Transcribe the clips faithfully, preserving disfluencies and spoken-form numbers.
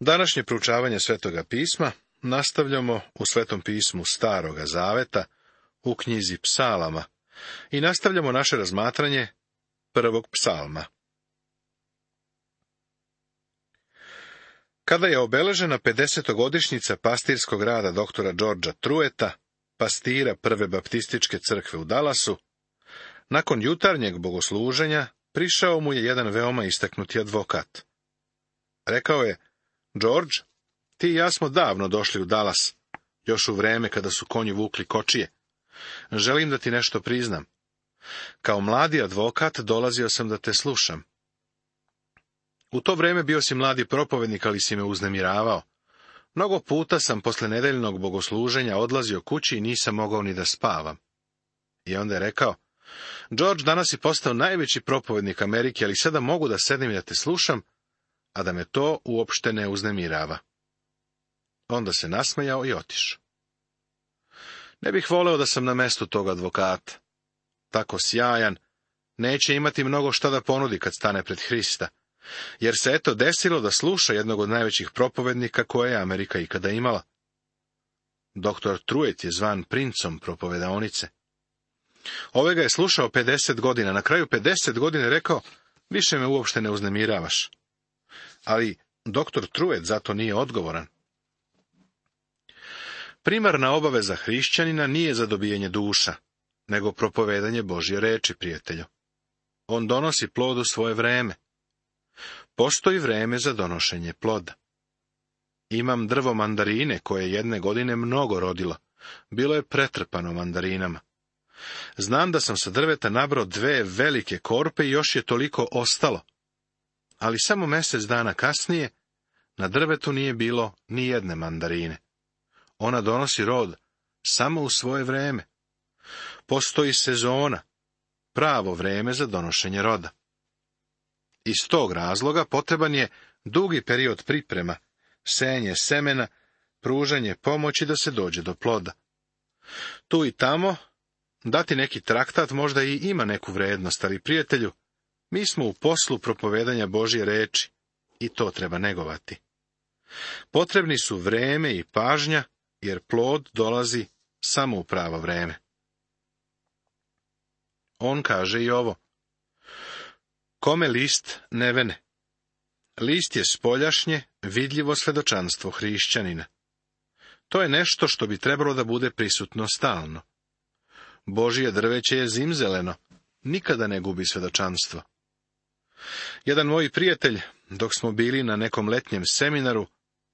Današnje proučavanje Svetoga pisma nastavljamo u Svetom pismu Staroga zaveta, u knjizi Psalama, i nastavljamo naše razmatranje prvog psalma. Kada je obeležena pedesetogodišnjica pastirskog rada doktora Georgea Trueta, pastira Prve baptističke crkve u Dallasu, nakon jutarnjeg bogosluženja prišao mu je jedan veoma istaknuti advokat. Rekao je: George, ti i ja smo davno došli u Dallas, još u vreme kada su konji vukli kočije. Želim da ti nešto priznam. Kao mladi advokat dolazio sam da te slušam. U to vreme bio si mladi propovednik, ali si me uznemiravao. Mnogo puta sam posle nedeljnog bogosluženja odlazio kući i nisam mogao ni da spavam. I onda je rekao: George, danas si postao najveći propovednik Amerike, ali sada mogu da sednem i da te slušam, a da me to uopšte ne uznemirava. Onda se nasmejao i otišao. Ne bih voleo da sam na mestu tog advokata. Tako sjajan, neće imati mnogo šta da ponudi kad stane pred Hrista, jer se eto desilo da sluša jednog od najvećih propovednika koje je Amerika ikada imala. Doktor Truet je zvan princom propovedaonice. Ove ga je slušao pedeset godina, na kraju pedeset godina je rekao: više me uopšte ne uznemiravaš. Ali doktor Truet zato nije odgovoran. Primarna obaveza hrišćanina nije zadobijanje duša, nego propovedanje Božje reči, prijatelju. On donosi plod u svoje vreme. Postoji vreme za donošenje ploda. Imam drvo mandarine koje je jedne godine mnogo rodilo. Bilo je pretrpano mandarinama. Znam da sam sa drveta nabrao dve velike korpe i još je toliko ostalo. Ali samo mjesec dana kasnije na drvetu nije bilo ni jedne mandarine. Ona donosi rod samo u svoje vreme. Postoji sezona, pravo vreme za donošenje roda. Iz tog razloga potreban je dugi period priprema, senje semena, pružanje pomoći da se dođe do ploda. Tu i tamo dati neki traktat možda i ima neku vrednost, ali, prijatelju, mi smo u poslu propovedanja Božje reči i to treba negovati. Potrebni su vreme i pažnja, jer plod dolazi samo u pravo vreme. On kaže i ovo: kome list ne vene. List je spoljašnje, vidljivo svedočanstvo hrišćanina. To je nešto što bi trebalo da bude prisutno stalno. Božje drveće je zimzeleno, nikada ne gubi svedočanstvo. Jedan moj prijatelj, dok smo bili na nekom letnjem seminaru,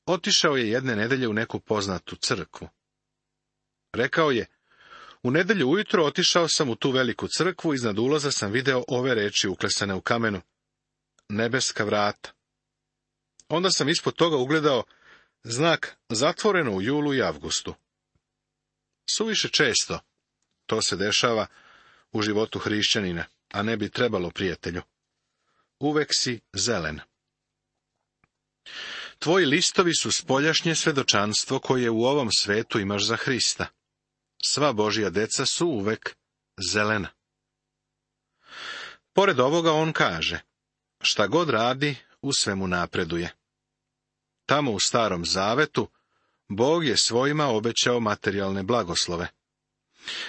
otišao je jedne nedelje u neku poznatu crkvu. Rekao je: u nedelju ujutro otišao sam u tu veliku crkvu, iznad ulaza sam video ove reči uklesane u kamenu: nebeska vrata. Onda sam ispod toga ugledao znak zatvoreno u julu i avgustu. Suviše često to se dešava u životu hrišćanina, a ne bi trebalo, prijatelju. Uvek si zelen. Tvoji listovi su spoljašnje svedočanstvo koje u ovom svetu imaš za Hrista. Sva Božja deca su uvek zelena. Pored ovoga on kaže: šta god radi, u svemu napreduje. Tamo u Starom zavetu Bog je svojima obećao materijalne blagoslove.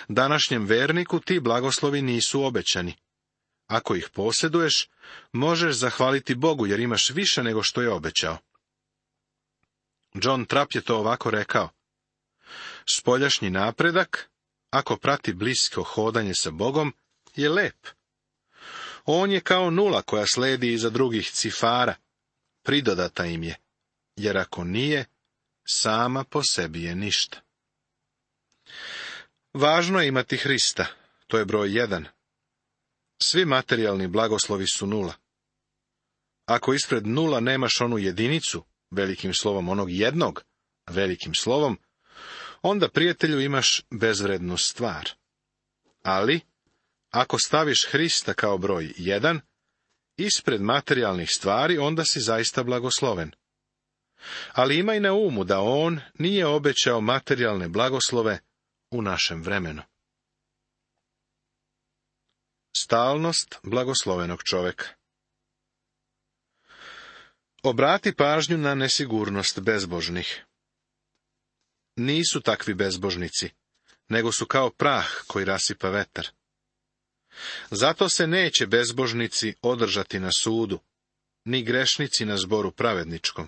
Današnjem verniku ti blagoslovi nisu obećani. Ako ih posjeduješ, možeš zahvaliti Bogu, jer imaš više nego što je obećao. John Trapp je to ovako rekao: spoljašnji napredak, ako prati blisko hodanje sa Bogom, je lep. On je kao nula koja sledi iza drugih cifara, pridodata im je, jer ako nije, sama po sebi je ništa. Važno je imati Hrista, to je broj jedan. Svi materijalni blagoslovi su nula. Ako ispred nula nemaš onu jedinicu, velikim slovom onog jednog, velikim slovom, onda, prijatelju, imaš bezvrednu stvar. Ali, ako staviš Hrista kao broj jedan, ispred materijalnih stvari, onda si zaista blagosloven. Ali imaj na umu da on nije obećao materijalne blagoslove u našem vremenu. Stalnost blagoslovenog čoveka. Obrati pažnju na nesigurnost bezbožnih. Nisu takvi bezbožnici, nego su kao prah koji rasipa vetar. Zato se neće bezbožnici održati na sudu, ni grešnici na zboru pravedničkom.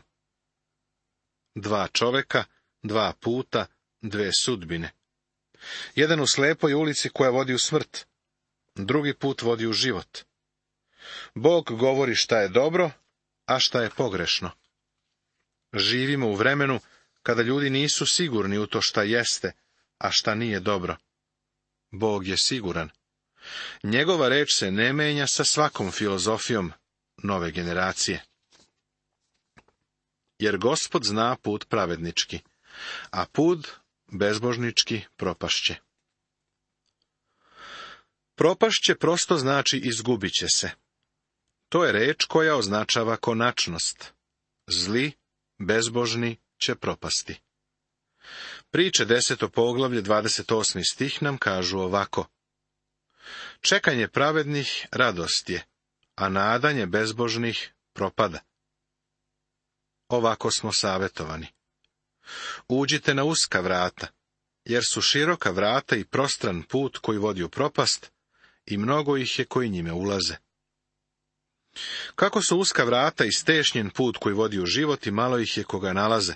Dva čoveka, dva puta, dve sudbine. Jedan u slepoj ulici koja vodi u smrt, drugi put vodi u život. Bog govori šta je dobro, a šta je pogrešno. Živimo u vremenu kada ljudi nisu sigurni u to šta jeste, a šta nije dobro. Bog je siguran. Njegova reč se ne menja sa svakom filozofijom nove generacije. Jer Gospod zna put pravednički, a put bezbožnički propašće. Propašće prosto znači izgubit će se. To je reč koja označava konačnost. Zli, bezbožni će propasti. Priče deseto poglavlje dvadeset osmi stih nam kažu ovako. Čekanje pravednih radost je, a nadanje bezbožnih propada. Ovako smo savjetovani. Uđite na uska vrata, jer su široka vrata i prostran put koji vodi u propast, i mnogo ih je koji njime ulaze. Kako su uska vrata i stešnjen put koji vodi u život i malo ih je koga nalaze,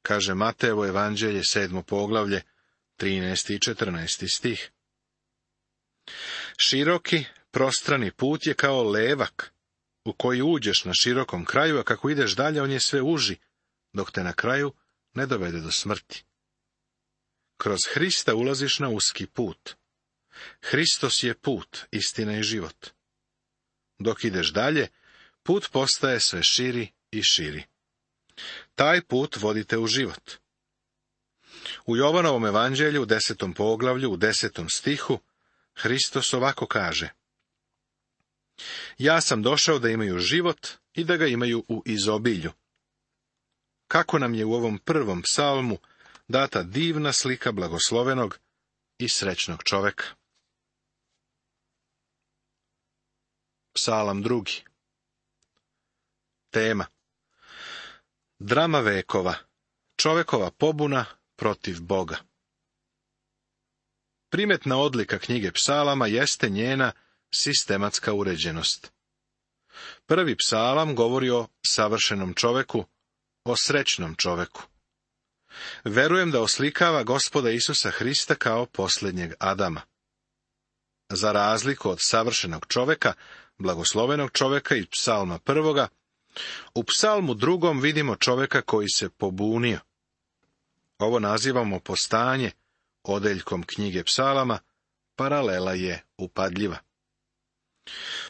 kaže Matejevo evanđelje sedmo poglavlje, trinaesti i četrnaesti stih. Široki, prostrani put je kao levak, u koji uđeš na širokom kraju, a kako ideš dalje on je sve uži, dok te na kraju ne dovede do smrti. Kroz Hrista ulaziš na uski put. Hristos je put, istina i život. Dok ideš dalje, put postaje sve širi i širi. Taj put vodite u život. U Jovanovom evanđelju, u desetom poglavlju, u desetom stihu, Hristos ovako kaže. Ja sam došao da imaju život i da ga imaju u izobilju. Kako nam je u ovom prvom psalmu data divna slika blagoslovenog i srećnog čoveka. Psalam drugi. Tema. Drama vekova. Čovekova pobuna protiv Boga. Primetna odlika knjige psalama jeste njena sistematska uređenost. Prvi psalam govori o savršenom čoveku, o srećnom čoveku. Verujem da oslikava Gospoda Isusa Hrista kao posljednjeg Adama. Za razliku od savršenog čoveka, blagoslovenog čoveka i psalma prvoga, u psalmu drugom vidimo čoveka koji se pobunio. Ovo nazivamo postanje, odeljkom knjige psalama, paralela je upadljiva.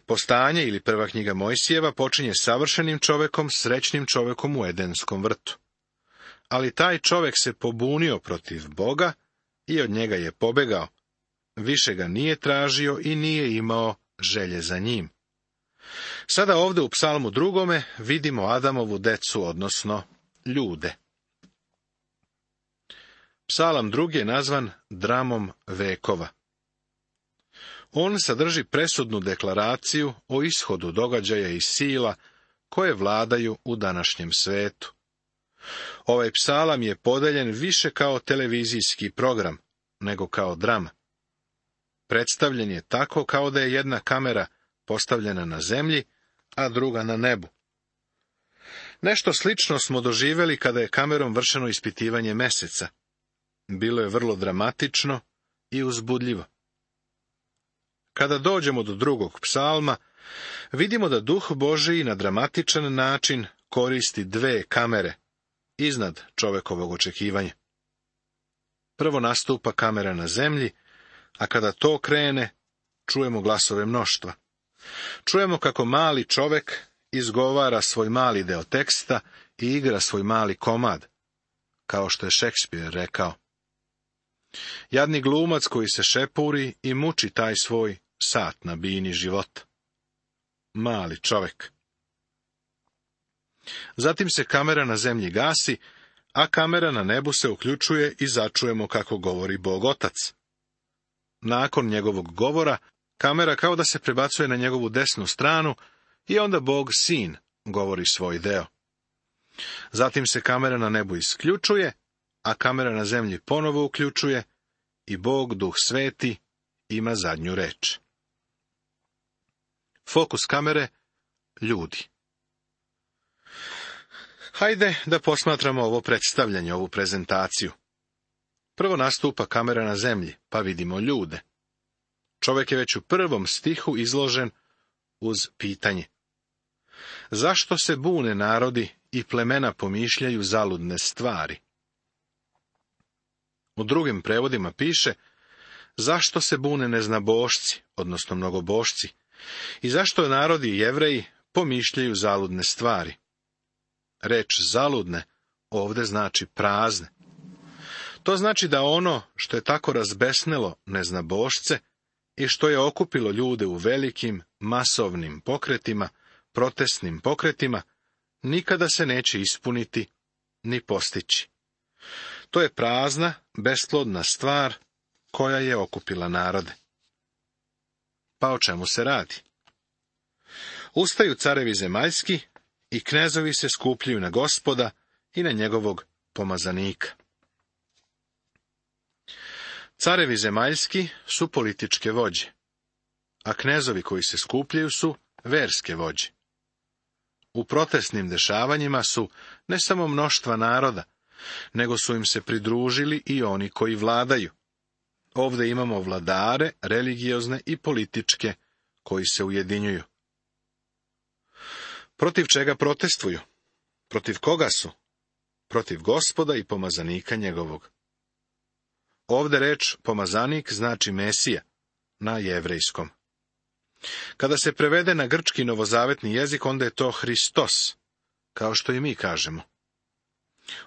Postanje ili prva knjiga Mojsijeva počinje savršenim čovekom, srećnim čovekom u Edenskom vrtu. Ali taj čovek se pobunio protiv Boga i od njega je pobegao. Više ga nije tražio i nije imao želje za njim. Sada ovdje u psalmu drugome vidimo Adamovu decu, odnosno ljude. Psalam drugi je nazvan dramom vekova. On sadrži presudnu deklaraciju o ishodu događaja i sila koje vladaju u današnjem svetu. Ovaj psalam je podeljen više kao televizijski program, nego kao drama. Predstavljen je tako kao da je jedna kamera postavljena na zemlji, a druga na nebu. Nešto slično smo doživjeli kada je kamerom vršeno ispitivanje meseca. Bilo je vrlo dramatično i uzbudljivo. Kada dođemo do drugog psalma, vidimo da Duh Božiji na dramatičan način koristi dve kamere iznad čovekovog očekivanja. Prvo nastupa kamera na zemlji, a kada to krene, čujemo glasove mnoštva. Čujemo kako mali čovek izgovara svoj mali deo teksta i igra svoj mali komad, kao što je Šekspir rekao. Jadni glumac koji se šepuri i muči taj svoj sat na bini života. Mali čovek. Zatim se kamera na zemlji gasi, a kamera na nebu se uključuje i začujemo kako govori Bog Otac. Nakon njegovog govora, kamera kao da se prebacuje na njegovu desnu stranu i onda Bog Sin govori svoj deo. Zatim se kamera na nebu isključuje, a kamera na zemlji ponovo uključuje i Bog, Duh Sveti, ima zadnju reč. Fokus kamere, ljudi. Hajde da posmatramo ovo predstavljanje, ovu prezentaciju. Prvo nastupa kamera na zemlji, pa vidimo ljude. Čovjek je već u prvom stihu izložen uz pitanje. Zašto se bune narodi i plemena pomišljaju zaludne stvari? U drugim prevodima piše, zašto se bune neznabošci, odnosno mnogobošci, i zašto narodi i Jevreji pomišljaju zaludne stvari. Reč zaludne ovdje znači prazne. To znači da ono što je tako razbesnelo neznabošce i što je okupilo ljude u velikim, masovnim pokretima, protestnim pokretima, nikada se neće ispuniti ni postići. To je prazna, besplodna stvar koja je okupila narode. Pa o čemu se radi? Ustaju carevi zemaljski i knezovi se skupljaju na Gospoda i na njegovog pomazanika. Carevi zemaljski su političke vođe, a knezovi koji se skupljaju su verske vođe. U protestnim dešavanjima su ne samo mnoštva naroda, nego su im se pridružili i oni koji vladaju. Ovdje imamo vladare, religiozne i političke, koji se ujedinjuju. Protiv čega protestuju? Protiv koga su? Protiv Gospoda i pomazanika njegovog. Ovdje reč pomazanik znači Mesija, na jevrejskom. Kada se prevede na grčki novozavetni jezik, onda je to Hristos, kao što i mi kažemo.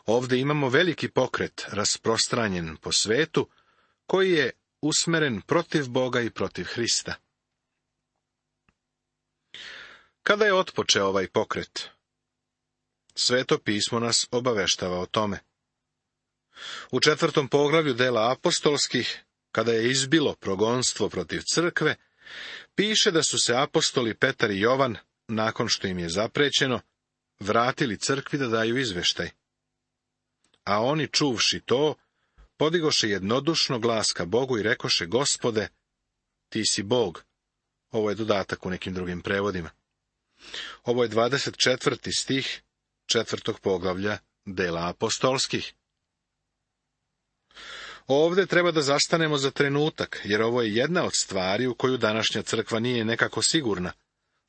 Ovdje imamo veliki pokret rasprostranjen po svetu, koji je usmeren protiv Boga i protiv Hrista. Kada je otpočeo ovaj pokret? Sveto pismo nas obaveštava o tome. U četvrtom poglavlju dela apostolskih, kada je izbilo progonstvo protiv crkve, piše da su se apostoli Petar i Jovan, nakon što im je zaprećeno, vratili crkvi da daju izveštaj. A oni, čuvši to, podigoše jednodušno glas ka Bogu i rekoše, Gospode, ti si Bog. Ovo je dodatak u nekim drugim prevodima. Ovo je dvadeset četvrti stih četvrtog poglavlja dela apostolskih. Ovdje treba da zastanemo za trenutak, jer ovo je jedna od stvari u koju današnja crkva nije nekako sigurna.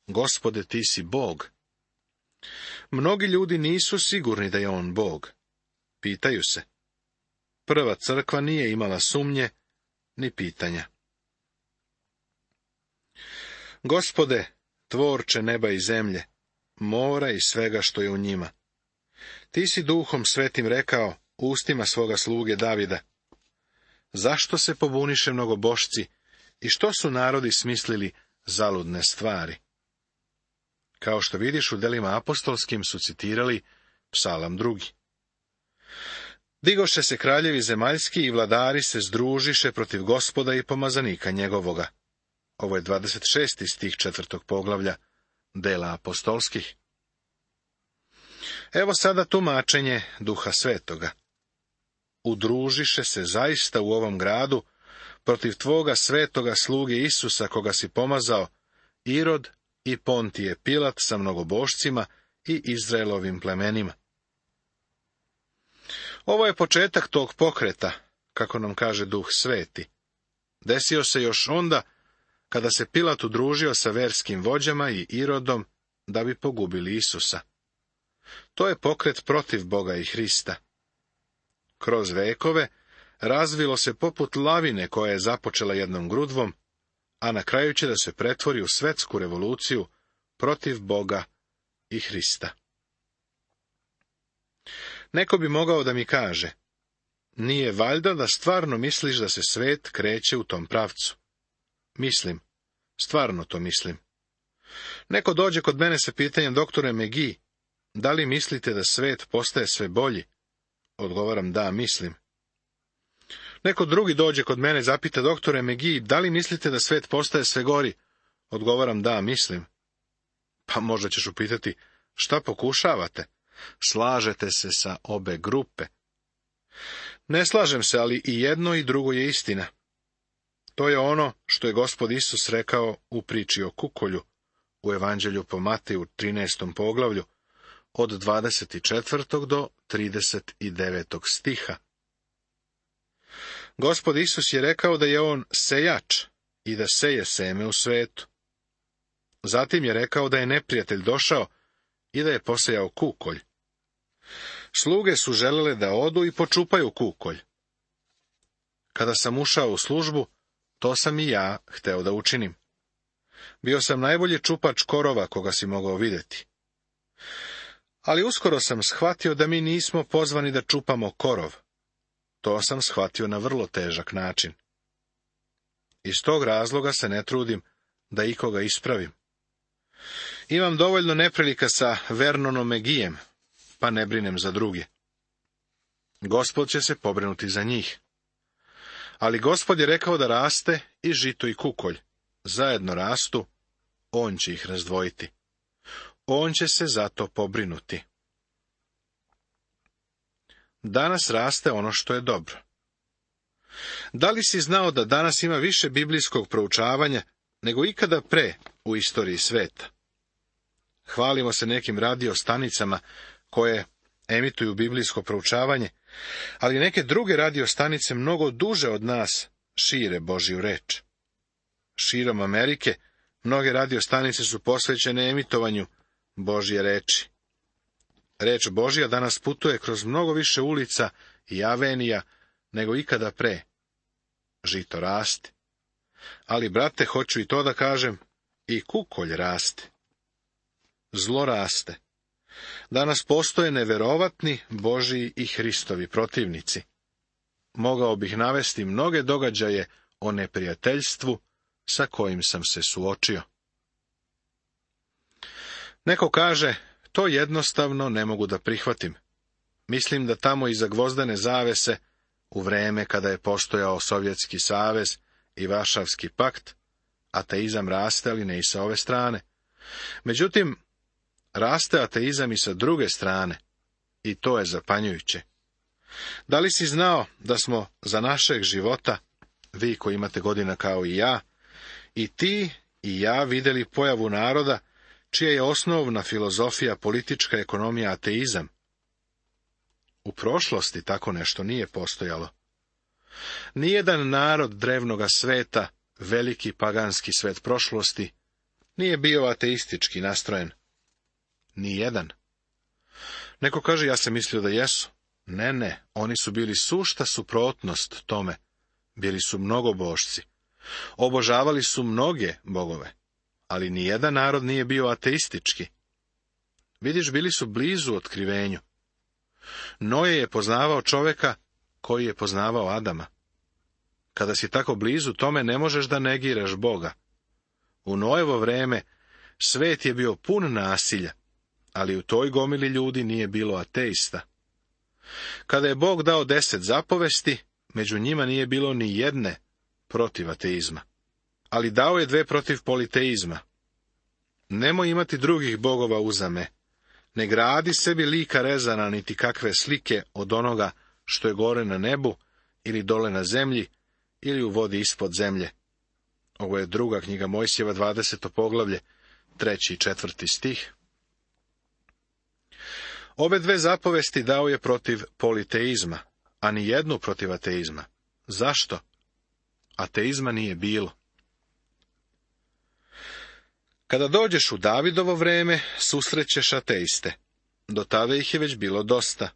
Gospode, ti si Bog. Mnogi ljudi nisu sigurni da je on Bog. Pitaju se. Prva crkva nije imala sumnje ni pitanja. Gospode, tvorče neba i zemlje, mora i svega što je u njima. Ti si Duhom Svetim rekao ustima svoga sluge Davida. Zašto se pobuniše mnogobošci i što su narodi smislili zaludne stvari? Kao što vidiš, u delima apostolskim su citirali psalam drugi. Digoše se kraljevi zemaljski i vladari se združiše protiv Gospoda i pomazanika njegovoga. Ovo je dvadeset šesti stih četvrtog poglavlja dela apostolskih. Evo sada tumačenje Duha Svetoga. Udružiše se zaista u ovom gradu protiv tvoga svetoga sluge Isusa, koga si pomazao, Irod i Pontije Pilat sa mnogobošcima i Izraelovim plemenima. Ovo je početak tog pokreta, kako nam kaže Duh Sveti. Desio se još onda, kada se Pilat udružio sa verskim vođama i Irodom, da bi pogubili Isusa. To je pokret protiv Boga i Hrista. Kroz vekove razvilo se poput lavine koja je započela jednom grudvom, a na kraju će da se pretvori u svetsku revoluciju protiv Boga i Hrista. Neko bi mogao da mi kaže, nije valjda da stvarno misliš da se svet kreće u tom pravcu? Mislim, stvarno to mislim. Neko dođe kod mene sa pitanjem, doktore Megi, da li mislite da svet postaje sve bolji? Odgovaram, da, mislim. Neko drugi dođe kod mene i zapita, doktore Megi, da li mislite da svet postaje sve gori? Odgovaram, da, mislim. Pa možda ćeš upitati, Šta pokušavate? Slažete se sa obe grupe. Ne slažem se, ali i jedno i drugo je istina. To je ono što je Gospod Isus rekao u priči o kukolju, u Evanđelju po Mateju trinaestom poglavlju, od dvadeset četvrtog do trideset devetog stiha. Gospod Isus je rekao da je on sejač i da seje seme u svetu. Zatim je rekao da je neprijatelj došao i da je posejao kukolj. Sluge su želele da odu i počupaju kukolj. Kada sam ušao u službu, to sam i ja hteo da učinim. Bio sam najbolji čupač korova koga si mogao vidjeti. Ali uskoro sam shvatio da mi nismo pozvani da čupamo korov. To sam shvatio na vrlo težak način. Iz tog razloga se ne trudim da ikoga ispravim. Imam dovoljno neprilika sa Vernonom Megijem, pa ne brinem za druge. Gospod će se pobrinuti za njih. Ali Gospod je rekao da raste i žito i kukolj. Zajedno rastu, on će ih razdvojiti. On će se zato pobrinuti. Danas raste ono što je dobro. Da li si znao da danas ima više biblijskog proučavanja nego ikada pre u istoriji sveta? Hvalimo se nekim radio stanicama koje emituju biblijsko proučavanje, ali neke druge radio stanice mnogo duže od nas šire Božju reč. Širom Amerike mnoge radio stanice su posvećene emitovanju Božje reči. Reč Božja danas putuje kroz mnogo više ulica i avenija nego ikada pre. Žito raste. Ali, brate, hoću i to da kažem, i kukolj raste. Zlo raste. Danas postoje neverovatni Božji i Hristovi protivnici. Mogao bih navesti mnoge događaje o neprijateljstvu sa kojim sam se suočio. Neko kaže, to jednostavno ne mogu da prihvatim. Mislim da tamo iza gvozdene zavese, u vreme kada je postojao Sovjetski savez i Varšavski pakt, ateizam raste, ali ne i sa ove strane. Međutim, raste ateizam i sa druge strane, i to je zapanjujuće. Da li si znao da smo za našeg života, vi koji imate godina kao i ja, i ti i ja vidjeli pojavu naroda, čija je osnovna filozofija politička ekonomija ateizam? U prošlosti tako nešto nije postojalo. Nijedan narod drevnoga sveta, veliki paganski svet prošlosti, nije bio ateistički nastrojen. Nijedan. Neko kaže, ja sam mislio da jesu. Ne, ne, oni su bili sušta suprotnost tome. Bili su mnogobošci. Obožavali su mnoge bogove. Ali nijedan narod nije bio ateistički. Vidiš, bili su blizu otkrivenju. Noje je poznavao čoveka koji je poznavao Adama. Kada si tako blizu tome, ne možeš da negiraš Boga. U Nojevo vreme svet je bio pun nasilja, ali u toj gomili ljudi nije bilo ateista. Kada je Bog dao deset zapovesti, među njima nije bilo ni jedne protiv ateizma. Ali dao je dve protiv politeizma. Nemoj imati drugih bogova uzame. Ne gradi sebi lika rezana niti kakve slike od onoga što je gore na nebu, ili dole na zemlji, ili u vodi ispod zemlje. Ovo je druga knjiga Mojsijeva, dvadeseto poglavlje, treći i četvrti stih. Ove dve zapovesti dao je protiv politeizma, a ni jednu protiv ateizma. Zašto? Ateizma nije bilo. Kada dođeš u Davidovo vreme, susrećeš ateiste. Do tada ih je već bilo dosta.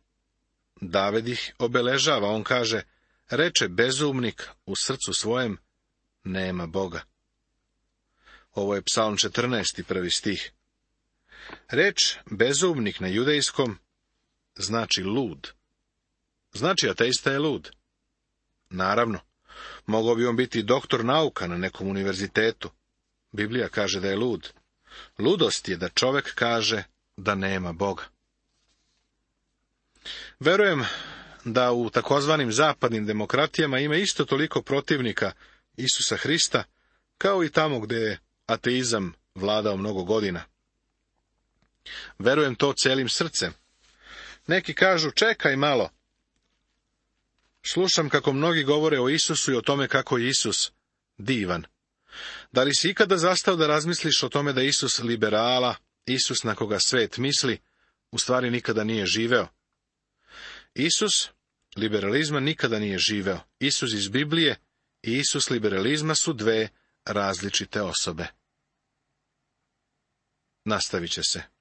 David ih obeležava, on kaže, reče bezumnik u srcu svojem, nema Boga. Ovo je Psalm četrnaesti, prvi stih. Reč bezumnik na judejskom znači lud. Znači ateista je lud. Naravno, mogao bi on biti doktor nauka na nekom univerzitetu. Biblija kaže da je lud. Ludost je da čovek kaže da nema Boga. Verujem da u takozvanim zapadnim demokratijama ima isto toliko protivnika Isusa Hrista, kao i tamo gdje je ateizam vladao mnogo godina. Verujem to celim srcem. Neki kažu, čekaj malo. Slušam kako mnogi govore o Isusu i o tome kako je Isus divan. Da li si ikada zastao da razmisliš o tome da Isus liberala, Isus na koga svet misli, u stvari nikada nije živeo? Isus liberalizma nikada nije živeo. Isus iz Biblije i Isus liberalizma su dve različite osobe. Nastavit će se.